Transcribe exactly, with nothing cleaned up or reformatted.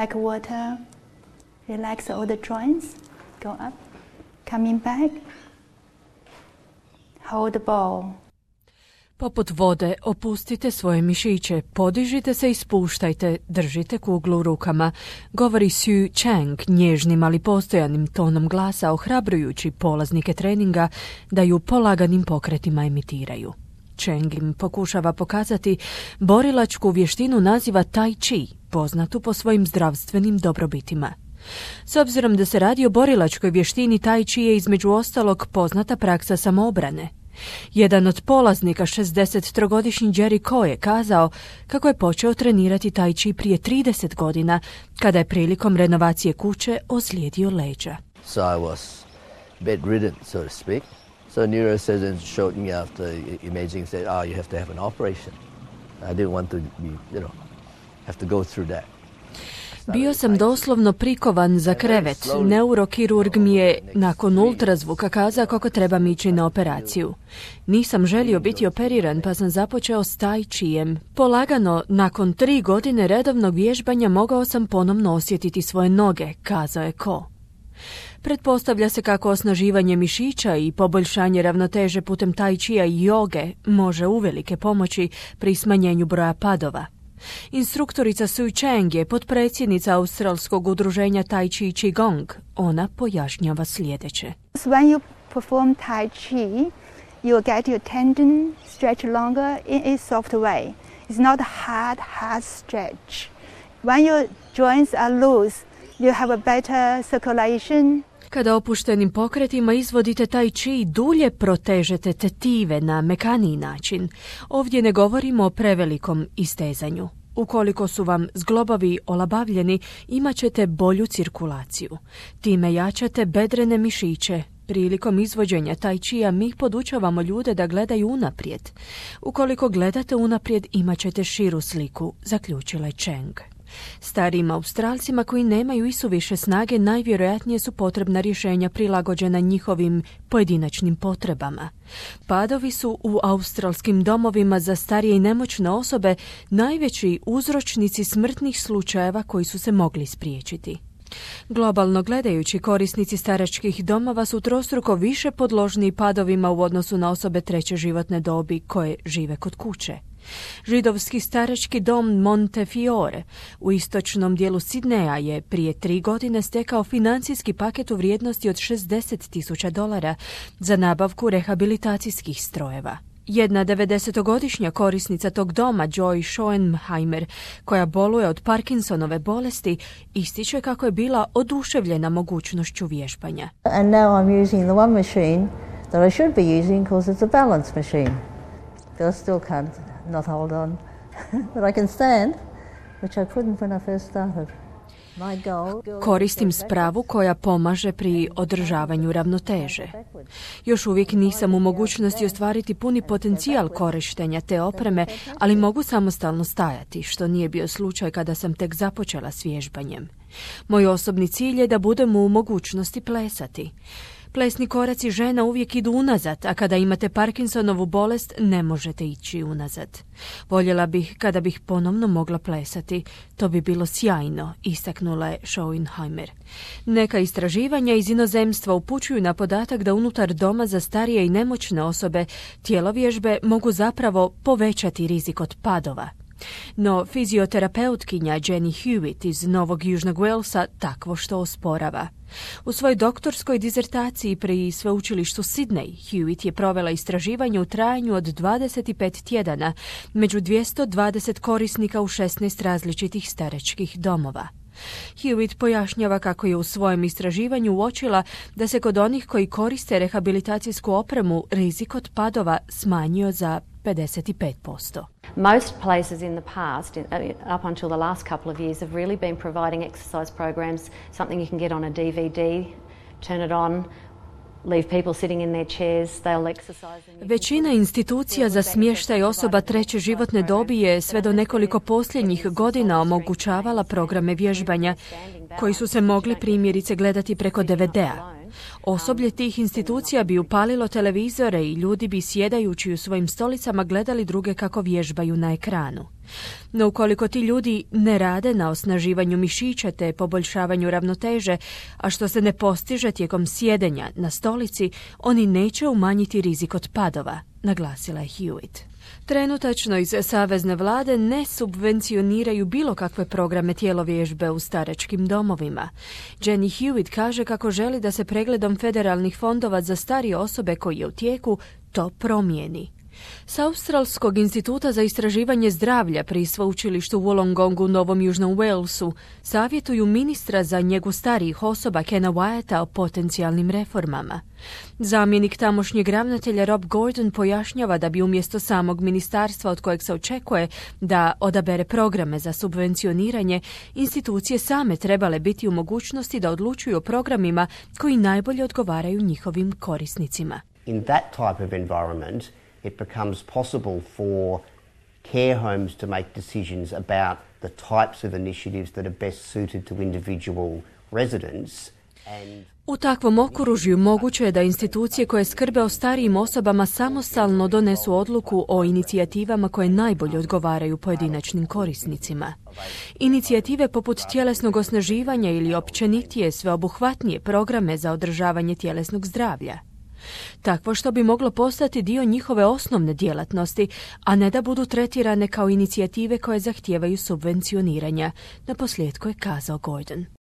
Like water, relax all the joints, go up, coming back, hold the ball. Poput vode, opustite svoje mišiće, podižite se i spuštajte, držite kuglu u rukama, govori Sue Chang nježnim ali postojanim tonom glasa, ohrabrujući polaznike treninga da ju polaganim pokretima emitiraju. Chang im pokušava pokazati borilačku vještinu naziva Tai Chi, poznatu po svojim zdravstvenim dobrobitima. S obzirom da se radi o borilačkoj vještini, Tai Chi je između ostalog poznata praksa samoobrane. Jedan od polaznika, šezdesettrogodišnji Jerry Ko, je kazao kako je počeo trenirati Tai Chi prije trideset godina, kada je prilikom renovacije kuće ozlijedio leđa. So I was bedridden, so to speak. So neurosurgeons showed me after imaging said, "Oh, you have to have an operation." I didn't want to be, you know, have to go through that. Bio sam doslovno prikovan za krevet. Neurokirurg mi je nakon ultrazvuka kazao kako trebam ići na operaciju. Nisam želio biti operiran, pa sam započeo s Tai Chijem. Polagano, nakon tri godine redovnog vježbanja mogao sam ponovno osjetiti svoje noge, kazao je Ko. Pretpostavlja se kako osnaživanje mišića i poboljšanje ravnoteže putem Tai Chija i joge može uvelike pomoći pri smanjenju broja padova. Instruktorica Sue Chang je potpredsjednica Australskog udruženja Tai Chi Qigong. Ona pojašnjava sljedeće. When you perform Tai Chi, you get your tendon stretch longer in a soft way. It's not hard, hard stretch. When your joints are loose, you have a better circulation. Kada opuštenim pokretima izvodite Tai Chi, dulje protežete tetive na mekaniji način. Ovdje ne govorimo o prevelikom istezanju. Ukoliko su vam zglobovi olabavljeni, imat ćete bolju cirkulaciju. Time jačate bedrene mišiće. Prilikom izvođenja Tai Chija mi podučavamo ljude da gledaju unaprijed. Ukoliko gledate unaprijed, imat ćete širu sliku, zaključila je Chang. Starijim Australcima koji nemaju isuviše snage najvjerojatnije su potrebna rješenja prilagođena njihovim pojedinačnim potrebama. Padovi su u australskim domovima za starije i nemoćne osobe najveći uzročnici smrtnih slučajeva koji su se mogli spriječiti. Globalno gledajući, korisnici staračkih domova su trostruko više podložni padovima u odnosu na osobe treće životne dobi koje žive kod kuće. Židovski starački dom Montefiore u istočnom dijelu Sidneja je prije tri godine stekao financijski paket u vrijednosti od šezdeset tisuća dolara za nabavku rehabilitacijskih strojeva. Jedna devedesetogodišnja korisnica tog doma, Joy Schoenheimer, koja boluje od Parkinsonove bolesti, ističe kako je bila oduševljena mogućnošću vježbanja. And now I'm using the one machine that I should be using because it's a balance machine. But I still can't not hold on. But I can stand, which I couldn't when I first started. Koristim spravu koja pomaže pri održavanju ravnoteže. Još uvijek nisam u mogućnosti ostvariti puni potencijal korištenja te opreme, ali mogu samostalno stajati, što nije bio slučaj kada sam tek započela s vježbanjem. Moj osobni cilj je da budem u mogućnosti plesati. Plesni koraci žena uvijek idu unazad, a kada imate Parkinsonovu bolest ne možete ići unazad. Voljela bih kada bih ponovno mogla plesati. To bi bilo sjajno, istaknula je Schoenheimer. Neka istraživanja iz inozemstva upućuju na podatak da unutar doma za starije i nemoćne osobe tjelovježbe mogu zapravo povećati rizik od padova. No fizioterapeutkinja Jenny Hewitt iz Novog Južnog Walesa takvo što osporava. U svojoj doktorskoj dizertaciji pri sveučilištu Sydney, Hewitt je provela istraživanje u trajanju od dvadeset pet tjedana među dvjesto dvadeset korisnika u šesnaest različitih staračkih domova. Hewitt pojašnjava kako je u svojem istraživanju uočila da se kod onih koji koriste rehabilitacijsku opremu rizik od padova smanjio za pedeset pet posto. Most places in the past, up until the last couple of years, have really been providing exercise programs, something you can get on a D V D, turn it on, leave people sitting in their chairs, they'll exercise. Većina institucija za smještaj osoba treće životne dobi je sve do nekoliko posljednjih godina omogućavala programe vježbanja koji su se mogli primjerice gledati preko D V D-a. Osoblje tih institucija bi upalilo televizore i ljudi bi sjedajući u svojim stolicama gledali druge kako vježbaju na ekranu. No ukoliko ti ljudi ne rade na osnaživanju mišića te poboljšavanju ravnoteže, a što se ne postiže tijekom sjedenja na stolici, oni neće umanjiti rizik od padova, naglasila je Hewitt. Trenutačno iz savezne vlade ne subvencioniraju bilo kakve programe tjelovježbe u staračkim domovima. Jenny Hewitt kaže kako želi da se pregledom federalnih fondova za starije osobe koji je u tijeku to promijeni. S Australskog instituta za istraživanje zdravlja pri sveučilištu Wollongongu u Novom Južnom Walesu savjetuju ministra za njegu starijih osoba Kena Wyetta o potencijalnim reformama. Zamjenik tamošnjeg ravnatelja Rob Gordon pojašnjava da bi umjesto samog ministarstva od kojeg se očekuje da odabere programe za subvencioniranje, institucije same trebale biti u mogućnosti da odlučuju o programima koji najbolje odgovaraju njihovim korisnicima. In that type of environment, it becomes possible for care homes to make decisions about the types of initiatives that are best suited to individual residents. And u takvom okružju moguće je da institucije koje skrbe o starijim osobama samostalno donesu odluku o inicijativama koje najbolje odgovaraju pojedinačnim korisnicima. Inicijative poput tjelesnog osnaživanja ili općenitije sveobuhvatnije programe za održavanje tjelesnog zdravlja. Takvo što bi moglo postati dio njihove osnovne djelatnosti, a ne da budu tretirane kao inicijative koje zahtijevaju subvencioniranja, naposljetku je kazao Gordon.